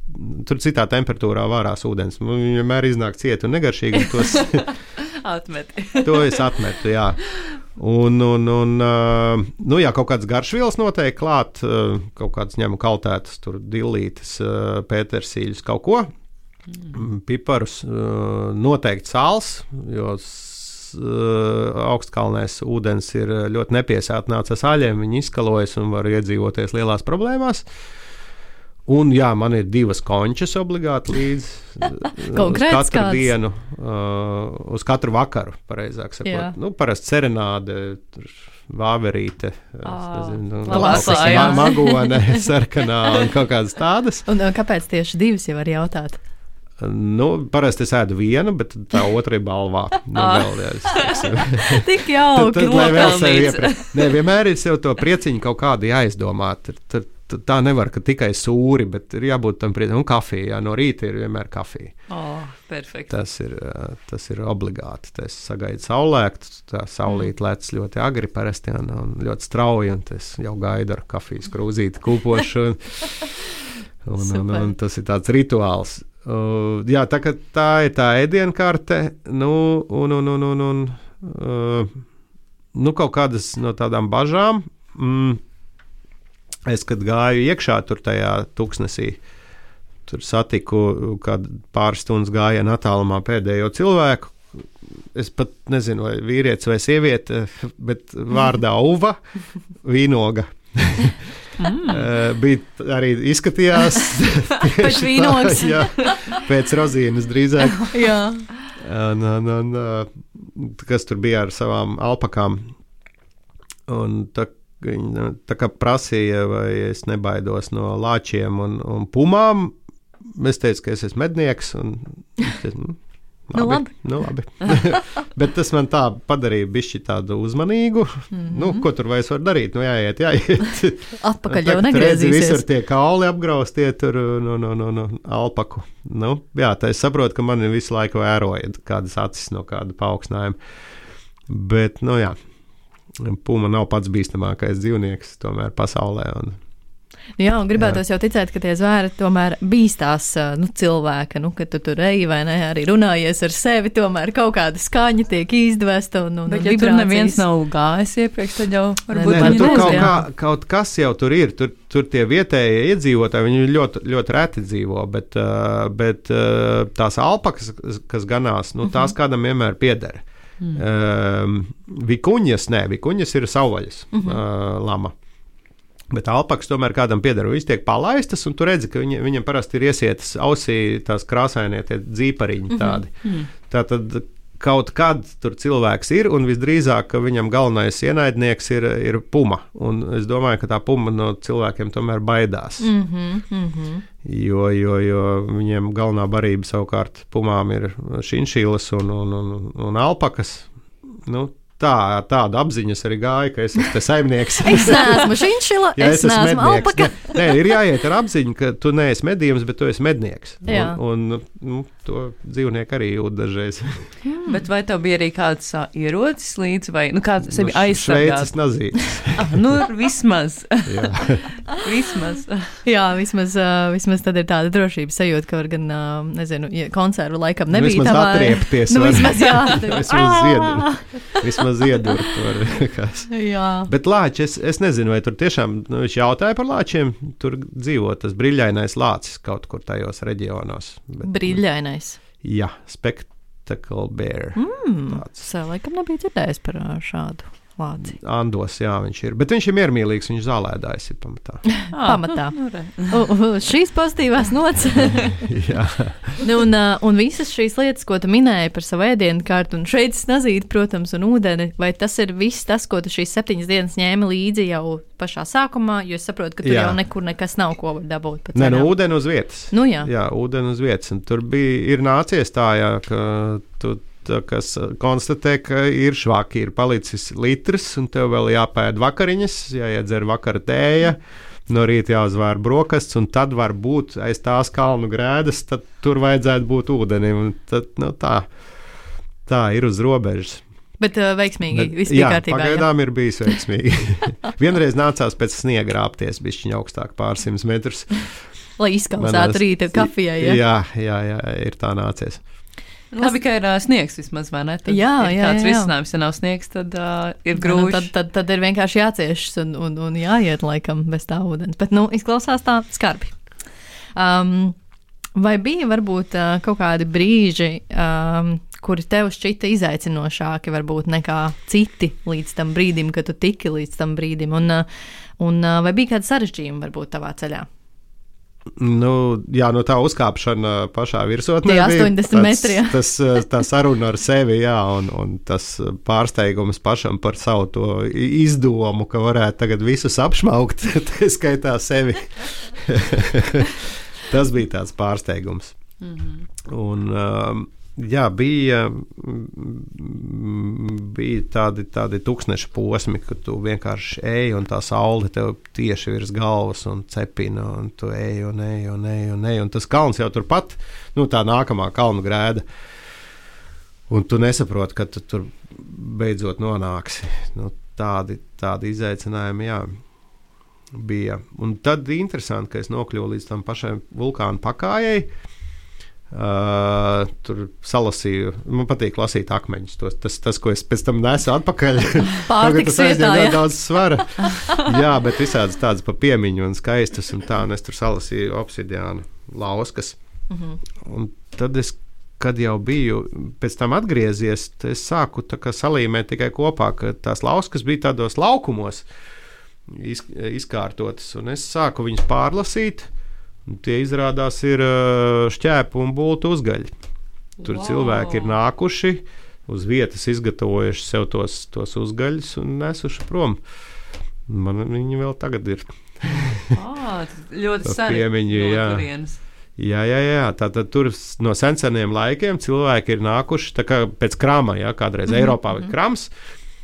tur citā temperatūrā vārās ūdens. Man vienmēr iznāk cieti un negaršīgi. Un tos, atmeti. To es atmetu, jā. Un, un, un uh, nu jā, kaut kāds garšvielas noteikti klāt, uh, kaut kāds ņemu kaltētas, tur dillītes, uh, pētersīļus, kaut ko. Mm. Piparus, uh, noteikti sāls, jo uh, augstkalnēs ūdens ir ļoti nepiesātināts ar sāļiem, viņi izkalojas un var iedzīvoties lielās problēmās. Un jā, man ir divas končas obligāti līdz uz katru kāds. dienu, uh, uz katru vakaru, pareizāk sakot. Nu, parasti serenāde, vāverīte, nezinu, lasā, magone, sarkanā un kaut kādas tādas. Un kāpēc tieši divas, jau var jautāt? Nu, parasti es ēdu vienu, bet tā otra ir balvā. Nu, vēl, jā, Tik jauki, nopelnīts. Nē, vienmēr ir sev to prieciņu kaut kādu jāizdomāt. Tad, tad tā nevar, ka tikai sūri, bet ir jābūt tam prieciņam. Un kafija, jā, no rīta ir vienmēr kafija. Oh, perfekti. Tas ir, tas ir obligāti. Tas sagaidu saulēktu, tā saulīt lec ļoti agri parasti un, un ļoti strauji, un tas jau gaidu ar kafijas krūzīti kūpošu. Un, un, un, un tas ir tāds rituāls. Uh, jā, tā, tā ir tā ēdienkarte, nu, un, un, un, un, un uh, nu, kaut kādas no tādām bažām. Mm, es, kad gāju iekšā tur tajā tūkstnesī, tur satiku, kad pāris stundas gājienu attālumā pēdējo cilvēku. Es pat nezinu, vai vīrietis vai sieviete, bet vārdā Uva, vīnoga. Mm. Uh, bija arī izskatījās pēc vīnogas. Jā, pēc rozīnes drīzāk. Jā. Un, un, un, uh, kas tur bija ar savām alpakām. Un tā, viņa, tā kā prasīja, vai es nebaidos no lāčiem un, un pumām, es teicu, ka es esmu mednieks. Un, es, Nu, labi. Nu, labi. Bet tas man tā padarīja bišķi tādu uzmanīgu. Mm-hmm. Nu, ko tur vairs var darīt? Nu, jāiet, jāiet. Atpakaļ jau negriezīsies. Visur tie kauli apgraustie tur no, no, no, no alpaku. Nu, jā, tā es saprotu, ka mani visu laiku vēroja kādas acis no kāda paaugstinājuma. Bet, nu jā, puma nav pats bīstamākais dzīvnieks tomēr pasaulē. Un jā, un gribētos jā. jau ticēt, ka tie zvēri tomēr bīstās nu, cilvēka, nu, kad tu tur eji vai ne, arī runājies ar sevi, tomēr kaut kāda skaņa tiek izdvesta un, un, bet, un ja vibrācijas. Tur neviens nav gājis iepriekš, tad jau varbūt ne, viņi tur nezinu. Kaut, kā, kaut kas jau tur ir, tur, tur tie vietējie iedzīvotāji, viņi ļoti, ļoti reti dzīvo, bet, uh, bet uh, tās alpakas, kas ganās, nu, tās uh-huh. kādam vienmēr pieder. Mm. Uh, vikuņas, nē, vikuņas ir savvaļas uh-huh. uh, lama. Bet alpakas tomēr kādam pieder, viņas tiek palaistas, un tu redzi, ka viņa, viņam parasti ir iesietas ausī tās krāsainie tie dzīpariņi tādi. Mm-hmm. Tātad kaut kad tur cilvēks ir, un visdrīzāk, ka viņam galvenais ienaidnieks ir, ir puma. Un es domāju, ka tā puma no cilvēkiem tomēr baidās. Mm-hmm. Mm-hmm. Jo, jo, jo viņiem galvenā barība savukārt pumām ir šinšīlas un, un, un, un alpakas. Nu, Tā, tāda apziņas arī gāja, ka es esmu te saimnieks. Es neesmu šinšila, ja, es, es neesmu alpaka. Ne, nē, ir jāiet ar apziņu, ka tu neesi medījums, bet tu esi mednieks. Jā. Un, un nu, to dzīvnieki arī jūt dažreiz. Bet vai tev bija arī kāds uh, ierocis līdz, vai nu, kāds sevi nu, aizsargāt? Šveices nazītes. ah, nu, vismaz. Jā. vismaz. Jā, vismaz, uh, vismaz tad ir tāda drošības sajūta, ka var gan, uh, nezinu, ja konservu laikam nebija nu, tā vai... atriepties. Nu, vismaz, jā. vismaz ziedurt. Vismaz ziedurt var. Jā. Bet lāči, es, es nezinu, vai tur tiešām, nu, viņš jautāja par lāčiem, tur dzīvo tas briļainais lācis kaut kur tajos reģionos. Bet, briļainais? Jā, spectacle bear. Mm, es laikam nebija dzirdējis par šādu Lāci. Andos, jā, viņš ir. Bet viņš ir miermīlīgs, viņš zālēdājs ir pamatā. Pamatā. U, u, šīs pozitīvās nots. Jā. Nu, un, uh, un visas šīs lietas, ko tu minēji par savu ēdienu kārtu, un šeit snazīti, protams, un ūdeni, vai tas ir viss tas, ko tu šīs septiņas dienas ņēmi līdzi jau pašā sākumā, jo es saprotu, ka tur jā. Jau nekur nekas nav, ko var dabūt. Nē, nu, ūdeni uz vietas. Nu, jā. Jā, ūdeni uz vietas. Un tur bija, ir nācies tā, jā, ka tu tā, kas konstatē, ka ir švaki, ir palicis litrs, un tev vēl jāpēd vakariņas, jāiedzer vakara tēja, no rīta jāuzvēr brokasts, un tad var būt aiz tās kalnu grēdas, tad tur vajadzētu būt ūdenim. Tad, nu, tā, tā ir uz robežas. Bet uh, veiksmīgi, viss bija kārtībā. Jā, pagaidām ir bijis veiksmīgi. Vienreiz nācās pēc sniega rāpties, bišķiņ augstāk pārsimt metrus. Lai izkausētu rīta kafijai, ja? Jā, jā, jā, ir tā nācies. Labi, ka ir uh, sniegs vismaz, vai ne? Tad jā, jā, tāds jā. risinājums, ja nav sniegs, tad uh, ir grūti. Nu, tad, tad, tad ir vienkārši jāciešas un, un, un jāiet laikam bez tā ūdens. Bet, nu, izklausās tā skarbi. Um, vai bija varbūt uh, kaut kādi brīži, um, kuri tev šķita izaicinošāki varbūt nekā citi līdz tam brīdim, kad tu tiki līdz tam brīdim? Un, uh, un uh, vai bija kādi sarežģījumi varbūt tavā ceļā? Nu, jā, no tā uzkāpšana pašā virsotnē bija astoņdesmit metri. Tas, tā saruna ar sevi, jā, un, un tas pārsteigums pašam par savu to izdomu, ka varētu tagad visus apšmaukt, tā skaitā sevi. Tas bija tāds pārsteigums. Mm-hmm. Un, um, jā, bija, bija tādi, tādi tūkstneša posmi, kad tu vienkārši eji un tā saule tev tieši virs galvas un cepina, un tu eji un eji un eji un eji, un tas kalns jau turpat, nu tā nākamā kalnu grēda, un tu nesaproti, ka tu tur beidzot nonāksi. Nu, tādi, tādi izaicinājumi, jā, bija. Un tad interesanti, ka es nokļuvu līdz tam pašai vulkānu pakājai. Uh, tur salasīju, man patīk lasīt akmeņus. Tos, tas, tas, ko es pēc tam nesu atpakaļ. Pārtiks vietā, jā. Daudz svara. Jā, bet visādas tādas pa piemiņu un skaistas un tā, un es tur salasīju obsidiānu lauskas. Uh-huh. Un tad es, kad jau biju pēc tam atgriezies, es sāku tā kā salīmēt tikai kopā, ka tās lauskas bija tādos laukumos iz, izkārtotas, un es sāku viņus pārlasīt. Tie izrādās ir šķēpu un bultu uzgaļi. Tur wow. Cilvēki ir nākuši, uz vietas izgatavojuši sev tos, tos uzgaļus un nesuši prom. Man viņi vēl tagad ir. Ah, ļoti seni. Piemiņi, jā. Jā, jā, jā. Tātad tur no senseniem laikiem cilvēki ir nākuši, tā kā pēc krama, jā, kādreiz mm-hmm. Eiropā bija krams,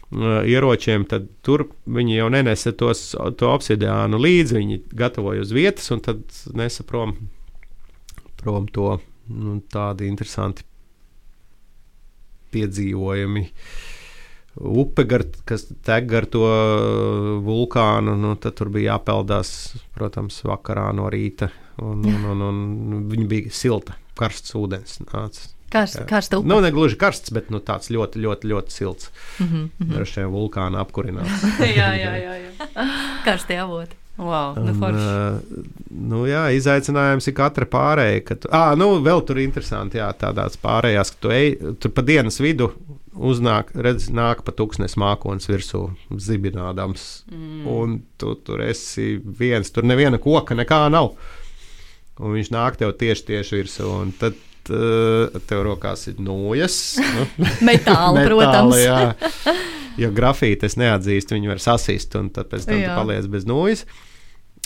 ieročiem, tad tur viņi jau nenesa tos, to obsidiānu līdzi, viņi gatavoja uz vietas un tad nesa prom, prom to, nu, tādi interesanti piedzīvojumi. Upe, gar, kas tek gar to vulkānu, nu, tad tur bija jāpeldās, protams, vakarā no rīta, un, un, un, un viņi bija silta, karsts ūdens nāca. Karsta, karsta upe. Nu, ne gluži karsts, bet nu, tāds ļoti, ļoti, ļoti silts. Mm-hmm, mm-hmm. Ar šiem vulkānu apkurināts. jā, jā, jā, jā. Karstie avoti. Wow, nu forši. Uh, nu jā, izaicinājums ir katra pārēja. Ka tu, ā, nu, vēl tur interesanti, jā, tādās pārējās, ka tu ej, tur pa dienas vidu uznāk, redz, nāk pa tūkstnes mākonis virsū zibinādams. Mm. Un tu tur esi viens, tur neviena koka, nekā nav. Un viņš nāk tev tieši, tieši virsū. Un tad tev rokās ir nūjas. Nu, metāli, protams. Jā. Jo grafīti es neatzīstu, viņi var sasist, un tad pēc tam jā. Tu paliec bez nūjas.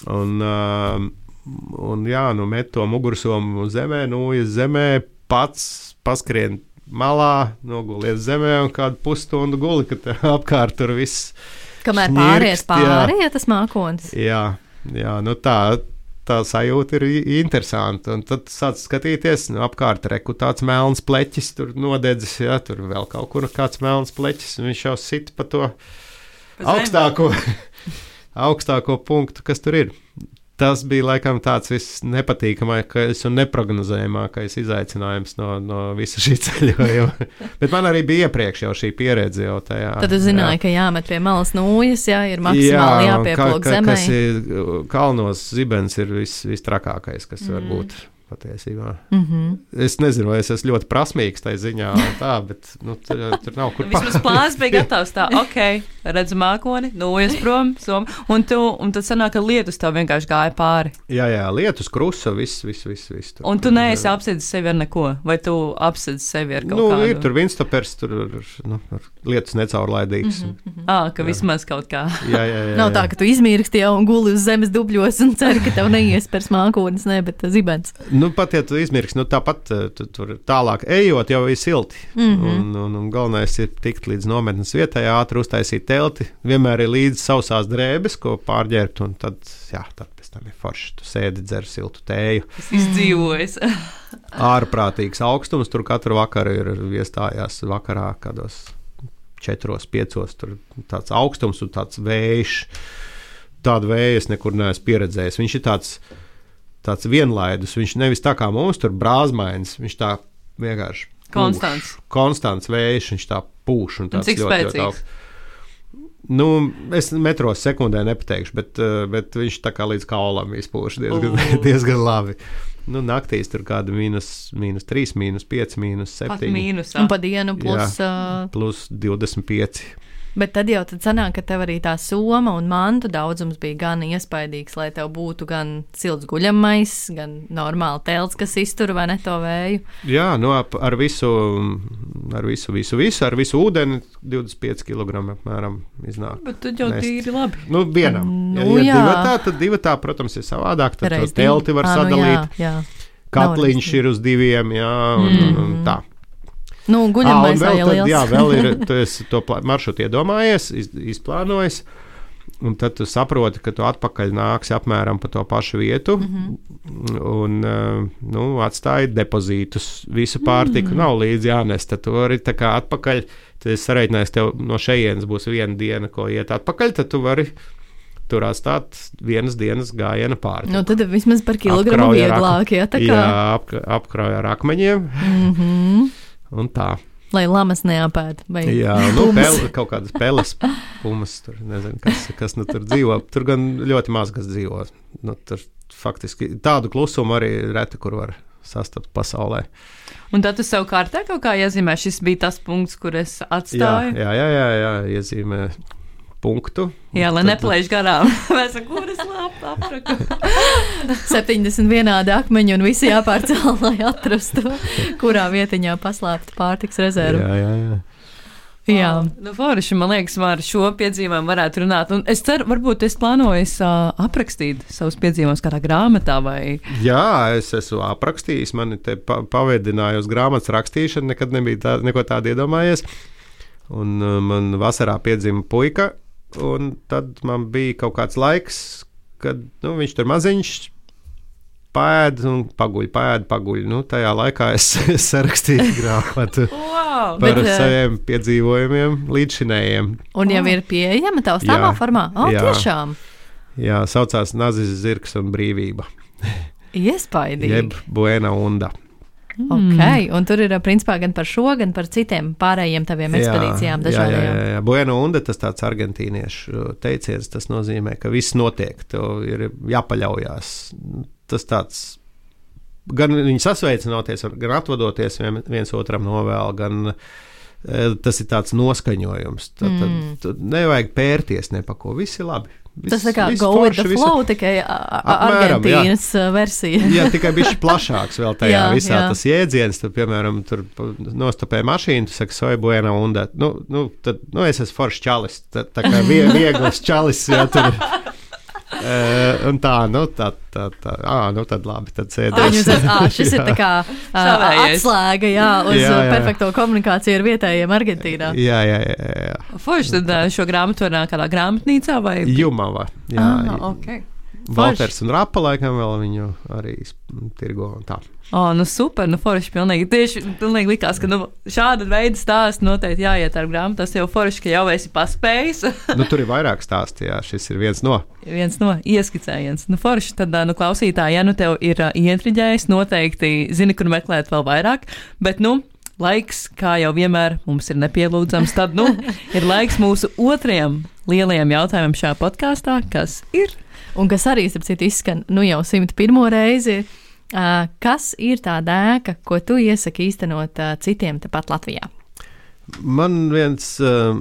Un, un jā, nu met to mugursomu zemē, nūjas zemē, pats paskrien malā, nogulies zemē un kādu pusstundu guli, kad apkārt tur viss kamēr pāries pārējie tas mākonis. Jā, jā, nu tā tā sajūta ir interesanta. Un tad sāc skatīties, nu, apkārt reku tāds melns pleķis, tur nodedzis, jā, tur vēl kaut kur kāds melns pleķis, un viņš jau sit pa to pa augstāko, augstāko punktu, kas tur ir. Tas bija laikam tāds viss nepatīkamākais un neprognozējamākais izaicinājums no, no visa šī ceļojuma. Bet man arī bija iepriekš jau šī pieredze jau tajā. Tad es zināju, jā. Ka jāmet pie malas nūjas, jā, ir maksimāli jā, jāpieplūk zemē. Kas ir kalnos zibens ir vis, vis trakākais, kas mm. var būt. patiesībā. Mm-hmm. Es nezinu, vai es esmu ļoti prasmīgs tajā ziņā, tā, bet nu, tur, tur nav kur pār. Vismaz plāns bija gatavs tā, ok, redzu mākoni, nojas prom, som, un, tu, un tad sanāk, ka lietus tev vienkārši gāja pāri. Jā, jā, lietus, krusa, viss, viss, viss. viss tur, un tu neesi apsēdis sevi ar neko, vai tu apsēdis sevi ar kaut nu, kādu? Ir tur vinstopers, tur nu, lietus necaurlaidīgs. Mm-hmm. Ā, ka jā. Vismaz kaut kā. Jā, jā, jā. Nav tā, ka tu izmirksti jau un guli uz zemes dubļos un ceri, ka tev neiespers mākonis, ne, bet zibens. Nu, pat, ja tu izmirks, nu, tāpat tu, tur tālāk ejot, jau ir silti. Mm-hmm. un, un, un galvenais ir tikt līdz nometnes vietai, ātri uztaisīt telti. Vienmēr ir līdzi sausās drēbes, ko pārģērbt, un tad, jā, tad pēc tam ir forši. Tu sēdi, dzer siltu tēju. Es izdzīvojis. Ārprātīgs augstums, tur katru vakaru ir iestājās vakarā kādos četros, piecos, tur tāds augstums un tāds vējš. Tādu vēju es nekur neesmu pieredzējis. Viņš ir tāds tāds vienlaidus, viņš nevis tā kā mums tur brāzmains, viņš tā vienkārši konstants. Pūš, konstants vējš, viņš tā pūš un tāds un cik ļoti, spēcīgs? ļoti augsts. Nu, es metros sekundē nepateikšu, bet, bet viņš tā kā līdz kaulam izpūš diezgan, uh. diezgan labi. Nu, naktīs tur kāda mīnus, mīnus trīs, mīnus pieci, mīnus septiņi. Pat mīnusā. Un pa dienu plus... Jā, uh... plus divdesmit pieci. Bet tad jau tad sanāk, ka tev arī tā soma un mantu daudzums bija gan iespaidīgs, lai tev būtu gan silts guļamais, gan normāli telts, kas iztur vai ne to vēju. Jā, nu ar visu, ar visu, visu, visu, ar visu ūdeni divdesmit pieci kilogrami apmēram iznāk. Bet tad jau nest. Tīri labi. Nu, vienam. Nu, ja, ja jā. divatā, tad divatā, protams, ir savādāk, tad Reiz to telti var divi. sadalīt. À, nu, jā, jā. Katliņš ir uz diviem, jā, un, Mm. un, un tā. Nu, guļamais vēl, jau tad, liels. jā, vēl ir, tu esi to plā, maršrutu iedomājies, iz, izplānojis, un tad tu saproti, ka tu atpakaļ nāksi apmēram pa to pašu vietu, mm-hmm. un, nu, atstāji depozītus, visu pārtiku, mm. nav līdzi jānes, tad tu vari tā kā atpakaļ, tad es sareiķinājos, tev no šejienes būs viena diena, ko iet atpakaļ, tad tu vari tur atstāt vienas dienas gājiena pārtiku. Nu, tad vismaz par kilogramu vieglāk, jā, tā kā. Jā, ap, apkrauj ar akmeņiem. Mhm. Un tā. Lai lamas neapēd. Vai jā, nu, pel, kaut kādas peles, pumas, tur nezinu, kas, kas nu tur dzīvo. Tur gan ļoti maz kas dzīvo. Nu, tur faktiski tādu klusumu arī reti, kur var sastapt pasaulē. Un tad tu sev kārtē kaut kā iezīmē, šis bija tas punkts, kur es atstāju? Jā, jā, jā, jā iezīmē punktu. Jā, lai neplēš garām. Mēs ar kuras lapu apraku. septiņdesmit vienādi akmeņi un visi jāpārcēl, lai atrastu, kurā vietiņā paslēpta pārtiks rezerve. Jā, jā, jā. Jā. Oh, nu, forši, man liekas, ar šo piedzīvojumu varētu runāt. Un es ceru, varbūt es plānoju uh, aprakstīt savus piedzīvojumus kādā grāmatā vai... Jā, es esmu aprakstījis, mani te pa pavedināju uz grāmatas rakstīšanu, nekad nebija tā, neko tādu iedomājies. Un uh, man vasarā piedzima puika, un tad man bija kaut kāds laiks, kad nu, viņš tur maziņš pēd un paguļ, pēd, paguļ. Nu, tajā laikā es, es sarakstīju grāmatu wow, par bet, saviem piedzīvojumiem līdzšinējiem. Un jau ir pieejama taustāmā formā? O, jā. Tiešām? Jā, saucās Nazis, zirgs un brīvība. Iespaidīgi. Jeb Buena Unda. Ok, un tur ir principā gan par šo, gan par citiem pārējiem taviem ekspedīcijām dažādajām. Jā, jā, jā. Buena Unda, tas tāds argentīniešu teiciens, tas nozīmē, ka viss notiek, tev ir jāpaļaujās. Tas tāds, gan viņi sasveicinoties, gan atvadoties viens otram novēl, gan tas ir tāds noskaņojums. Tad, mm. tad, tad nevajag pērties ne pa ko, viss ir labi. Viss, tas ir kā go forši, with the flow, visi... tikai apmēram, Argentīnas jā. versija. Jā, tikai bišķi plašāks vēl tajā jā, visā jā. Tas jēdziens. Tad, piemēram, tur nostopē mašīnu, tu saki, soy buena unda. Nu, nu, tad, nu es esmu foršs čalis, tā, tā kā vie, viegls čalis, jā, tur. Uh, un tā, nu, tā, tā, tā, ā, nu, tad labi, tad sēdēs. Ā, šis ir tā kā uh, atslēga, jā, uz jā, jā. perfekto komunikāciju ar vietējiem Argentīnā. Jā, jā, jā. jā. Forši, tad šo grāmatu var kādā grāmatnīcā vai? Jumava, jā. Ah, ok. Valters un Rapa laikam vēl viņu arī tirgo un tā. O, nu super, nu forši pilnīgi. Tieši pilnīgi likās, ka nu, šāda veida stāsts noteikti jāiet ar grāmatu. Tas jau forši, ka jau esi paspējis. Nu, tur ir vairāk stāsti, jā, šis ir viens no. Viens no ieskicējiens. Nu, forši, tad, nu, klausītāji, ja nu tev ir uh, ietriģējis, noteikti zini, kur meklēt vēl vairāk, bet, nu, laiks, kā jau vienmēr mums ir nepielūdzams, tad, nu, ir laiks mūsu otrajam lielajam jautājumam šajā podkāstā, kas ir... Un kas arī, starp citu, izskan, nu, jau simt pirmo reizi, Uh, kas ir tā dēka, ko tu iesaki īstenot uh, citiem tepat Latvijā? Man viens uh,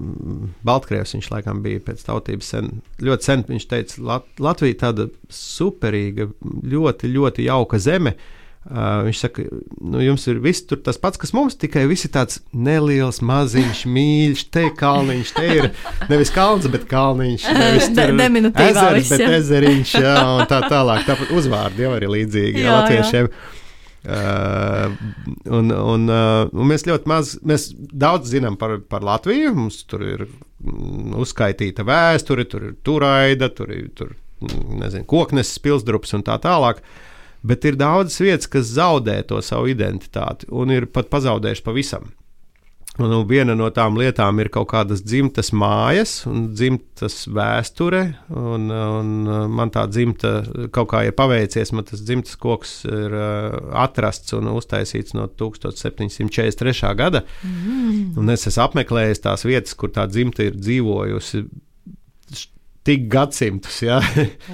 Baltkrievs, viņš laikam bija pēc tautības sen, ļoti sen, viņš teica, Lat Latvija tāda superīga, ļoti, ļoti jauka zeme. Uh, viņš saka, nu jums ir viss tur tas pats, kas mums, tikai viss ir tāds neliels, maziņš, mīļš, te kalniņš, te ir nevis kalns, bet kalniņš, nevis tur ezers, bet ezeriņš, jā, un tā tālāk. Tāpat uzvārdi jau arī līdzīgi, jā, latviešiem. Jā. Uh, un, un, uh, un mēs ļoti maz, mēs daudz zinām par, par Latviju, mums tur ir mm, uzskaitīta vēsture, tur ir Turaida, tur ir, tur, nezinu, Kokneses pilsdrups un tā tālāk, bet ir daudz vietas, kas zaudē to savu identitāti un ir pat pazaudējuši pavisam. Un viena no tām lietām ir kaut kādas dzimtas mājas un dzimtas vēsture, un, un man tā dzimta kaut kā ir paveicies, man tas dzimtas koks ir atrasts un uztaisīts no tukstot septiņsimt četrdesmit trešā gada, mm. un es esmu apmeklējis tās vietas, kur tā dzimta ir dzīvojusi tik gadsimtus, ja?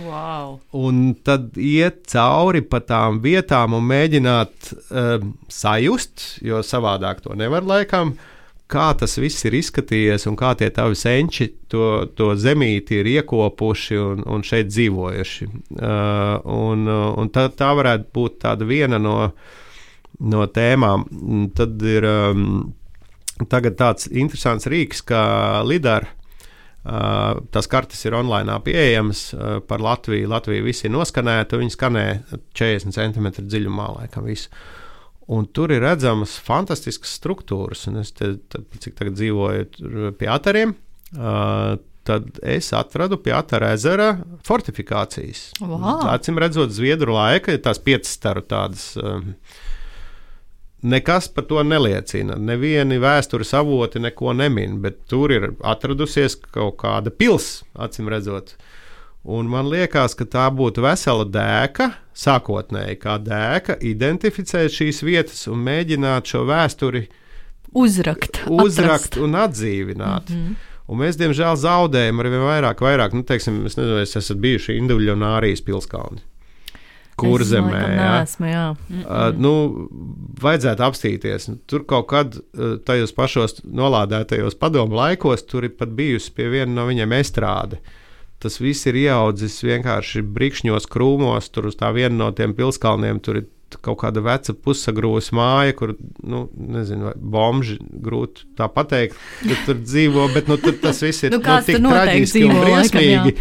Wow. Un tad iet cauri pa tām vietām un mēģināt uh, sajust, jo savādāk to nevar laikam, kā tas viss ir izskatījies un kā tie tavi senči to, to zemīti ir iekopuši un, un šeit dzīvojuši. Uh, un un tā, tā varētu būt tāda viena no, no tēmām. Tad ir um, tagad tāds interesants rīks kā Lidar. Uh, tās kartes ir online pieejamas uh, par Latviju. Latvija visi ir noskanēta, viņi skanē četrdesmit centimetru dziļumā, laikam visu. Un tur ir redzamas fantastiskas struktūras, un es te, tad, cik tagad dzīvoju pie Atariem, uh, tad es atradu pie Atara ezera fortifikācijas. Wow. Acim redzot Zviedru laika, tās piecas staru tādas... Um, Nekas par to neliecina. Nevieni vēstures avoti neko nemin, bet tur ir atradusies kaut kāda pils, acim redzot. Un man liekas, ka tā būtu vesela dēka, sākotnēji kā dēka, identificēt šīs vietas un mēģināt šo vēsturi uzrakt, uzrakt un atdzīvināt. Mm-hmm. Un mēs, diemžēl, zaudējam ar vien vairāk, vairāk. Nu, teiksim, es nezinu, es esat bijuši Induļonārijas pilskalni. Kurzemē, jā. Nesmu, jā. Uh, nu, vajadzētu apstīties. Tur kaut kad uh, tajos pašos nolādētajos padomu laikos tur ir pat bijusi pie viena no viņiem estrāde. Tas viss ir ieaudzis vienkārši brikšņos krūmos, tur uz tā viena no tiem pilskalniem tur ir kaut kāda veca pussagrūs māja, kur, nu, nezinu, bomži grūti tā pateikt, ka tur dzīvo, bet nu, tur tas viss ir nu, nu, tik traģiski un briesmīgi.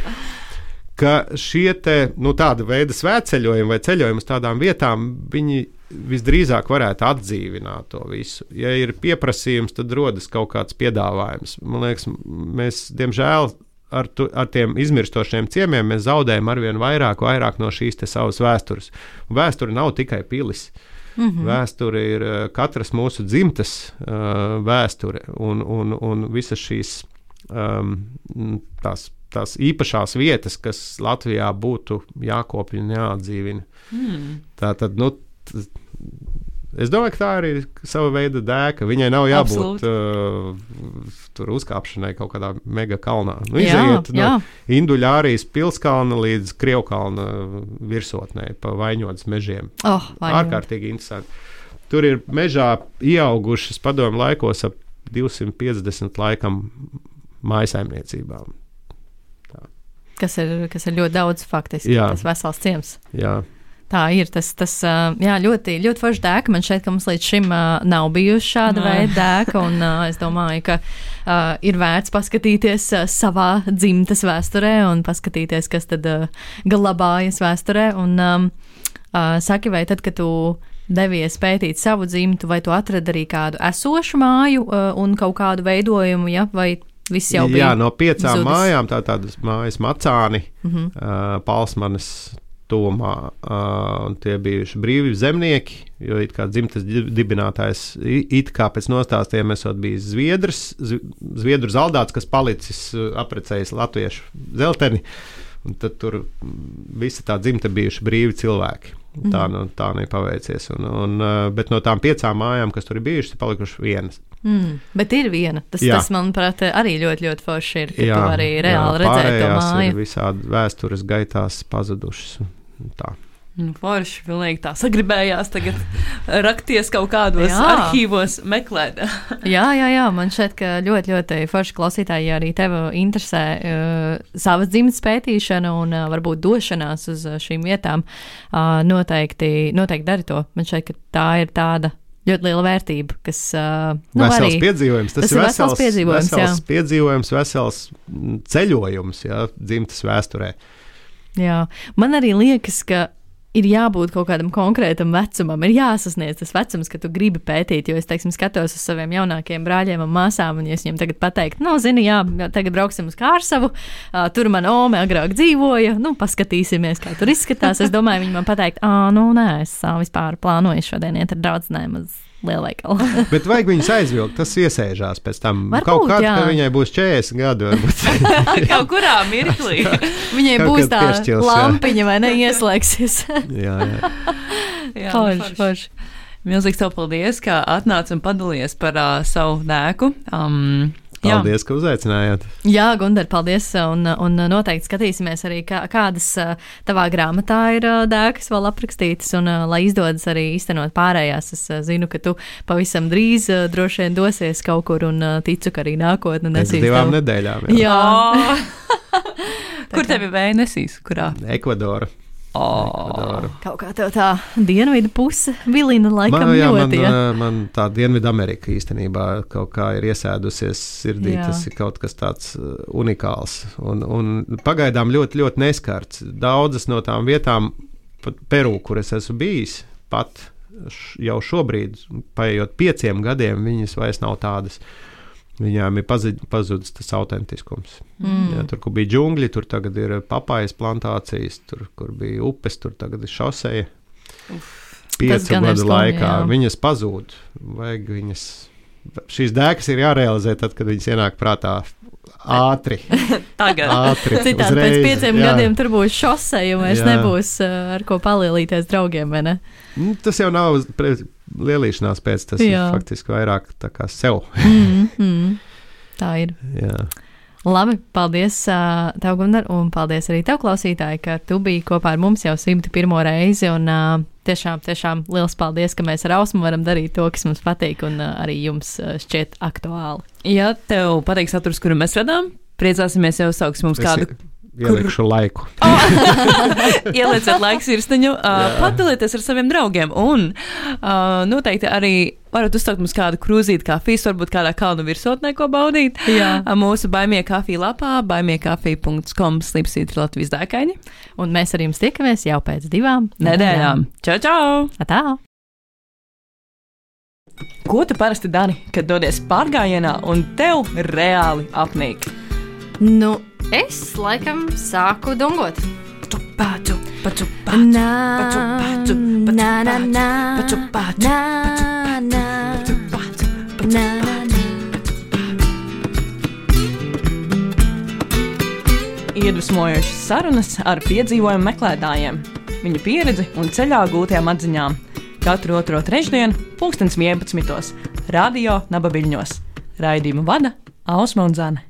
Ka šie te, nu, tāda veida svētceļojumi vai ceļojumi uz tādām vietām, viņi visdrīzāk varētu atdzīvināt to visu. Ja ir pieprasījums, tad rodas kaut kāds piedāvājums. Man liekas, mēs, diemžēl, ar, tu, ar tiem izmirstošiem ciemiem mēs zaudējam arvien vairāk, vairāk no šīs te savas vēstures. Vēsture nav tikai pilis. Mm-hmm. Vēsture ir katras mūsu dzimtas uh, vēsture un, un, un visas šīs um, tās tās īpašās vietas, kas Latvijā būtu jākopja un jāatdzīvina. Mm. Tā tad, nu, t- es domāju, ka tā arī ir sava veida dēka. Viņai nav jābūt uh, tur uzkāpšanai kaut kādā mega kalnā. Nu, iziet no Induļārijas pilskalna līdz Krievkalna virsotnē pa Vaņodas mežiem. Oh, ārkārtīgi interesanti. Tur ir mežā ieaugušas padomu laikos ap divsimt piecdesmit laikam mājasaimniecībām. Kas ir, kas ir ļoti daudz faktiski, jā. Tas vesels ciems. Jā. Tā ir, tas, tas jā, ļoti, ļoti forši dēka. Man šeit, ka mums līdz šim uh, nav bijusi šāda veida dēka, un uh, es domāju, ka uh, ir vērts paskatīties uh, savā dzimtas vēsturē un paskatīties, kas tad uh, glabājas vēsturē. Un um, uh, saki, vai tad, kad tu devies pētīt savu dzimtu, vai tu atradi arī kādu esošu māju uh, un kaut kādu veidojumu, ja, vai viss jau bija? Jā, no piecām zudis. Mājām, tā tādas mājas Macāni, mm-hmm. uh, Palsmanes tuvumā, uh, un tie bijuši brīvi zemnieki, jo it kā dzimtas dibinātājs, it kā pēc nostāstiem esot bijis Zviedrs, Zviedru zaldāts, kas palicis aprecējis latviešu zelteni, un tad tur visa tā dzimta bijuši brīvi cilvēki. Tā, mm. tā nepaveicies. Un, un, bet no tām piecām mājām, kas tur ir bijušas, ir palikušas vienas. Mm, bet ir viena. Tas, tas manuprāt, arī ļoti, ļoti forši ir, ka jā, tu arī reāli jā, redzēt to māju. Ir visādi vēstures gaitās pazudušas. Tā. Nu, forši, pilnīgi tā sagribējās tagad rakties kaut kādos jā. arhīvos meklēt. jā, jā, jā, man šķiet, ka ļoti, ļoti forši klausītāji, ja arī tev interesē uh, savas dzimtas pētīšana un uh, varbūt došanās uz uh, šīm vietām, uh, noteikti, noteikti dari to. Man šķiet, ka tā ir tāda ļoti liela vērtība, kas uh, nu, vesels arī, piedzīvojums. Tas, tas ir vesels, vesels piedzīvojums, vesels jā. piedzīvojums, vesels ceļojums, jā, dzimtas vēsturē. Jā, man arī liekas, ka ir jābūt kaut kādam konkrētam vecumam, ir jāsasniedz tas vecums, ka tu gribi pētīt, jo es, teiksim, skatos uz saviem jaunākiem brāļiem un māsām, un ja es viņiem tagad pateiktu, nu, zini, jā, tagad brauksim uz Kārsavu, uh, tur man ome agrāk dzīvoja, nu, paskatīsimies, kā tur izskatās. Es domāju, viņi man pateikt, ā, nu, nē, es vispār plānoju šodien iet ar draudzenēm uz lielveikalu. Bet vajag viņus aizvilkt, tas iesēžās pēc tam. Varbūt, kaut kādā, jā. ka viņai būs četrdesmit gadi, varbūt. Kaut kurā mirklī. Viņai Kaut būs tā piešķils, lampiņa, jā. vai ne, ieslēgsies. jā, jā. jā, forši, forši. Milzīgs tev paldies, ka atnāc un padalies par uh, savu dēku. Um, Paldies, jā. ka uzaicinājāt. Jā, Gundar, paldies, un, un noteikti skatīsimies arī, kā, kādas tavā grāmatā ir dēkas vēl aprakstītas, un lai izdodas arī īstenot pārējās. Es zinu, ka tu pavisam drīz droši vien dosies kaut kur, un ticu, ka arī nākotne nesīs. Pēc divām tev. nedēļām. Jā. Jā. Kur tevi vēja nesīs? Kurā? Ekvadora. Oh. Kaut kā tev tā dienvidu puse vilina laikam man, jā, ļoti. Ja? Man, man tā Dienvidu Amerika īstenībā kaut kā ir iesēdusies sirdī. Jā. Tas ir kaut kas tāds unikāls un, un pagaidām ļoti, ļoti neskarts. Daudzas no tām vietām, pat Peru, kur es esmu bijis, pat jau šobrīd, paiet pieciem gadiem, viņas vairs nav tādas. Viņām ir pazudis tas autentiskums. Mm. Jā, tur, kur bija džungļi, tur tagad ir papājas plantācijas, tur, kur bija upes, tur tagad ir šoseja. Piecu gadu laikā jā. Viņas pazūd. Vajag viņas, šīs dēkas ir jārealizē tad, kad viņas ienāk prātā ātri. Tagad. Ātri. Citādi uzreiz, pēc pieciem jā. gadiem tur būs šoseja, un vairs Jā. nebūs uh, ar ko palielīties draugiem, vai ne? Tas jau nav pre, lielīšanās pēc, tas Jā. ir faktiski vairāk tā kā sev. Mm, mm, tā ir. Jā. Labi, paldies uh, tev, Gundar, un paldies arī tev, klausītāji, ka tu biji kopā ar mums jau simt pirmo reizi, un uh, tiešām, tiešām liels paldies, ka mēs ar Ausmu varam darīt to, kas mums patīk, un uh, arī jums uh, šķiet aktuāli. Ja tev patīk saturs, kuru mēs radām, priecāsimies, ja uzsauks mums Es kādu. Ielikšu kur... laiku. Oh. Ielieciet laiku sirsniņu, uh, padalieties ar saviem draugiem, un uh, noteikti arī varat uzstākt mums kādu krūzīti kafijas, varbūt kādā kalnu virsotnē, ko baudīt. Jā. Uh, mūsu baimie kafija lapā, baimiekafija punkts com slipsīt Latvijas dēkaini. Un mēs ar jums tiekamies jau pēc divām nedēļām. Čau, čau! Atā! Ko tu parasti dari, kad dodies pārgājienā un tev reāli apnīk? Nu, es laikam sāku dungot. Paču, paču, paču, paču, paču, paču, na, na, na, paču, paču, na, na, paču, paču, paču, na, na. Iedvesmojošas sarunas ar piedzīvojumu meklētājiem, viņu pieredzi un ceļā gūtajām atziņām. Katru otro trešdienu, pulkstens vienpadsmitos, radio Nabaviļņos. Raidījumu vada Ausma un Zane.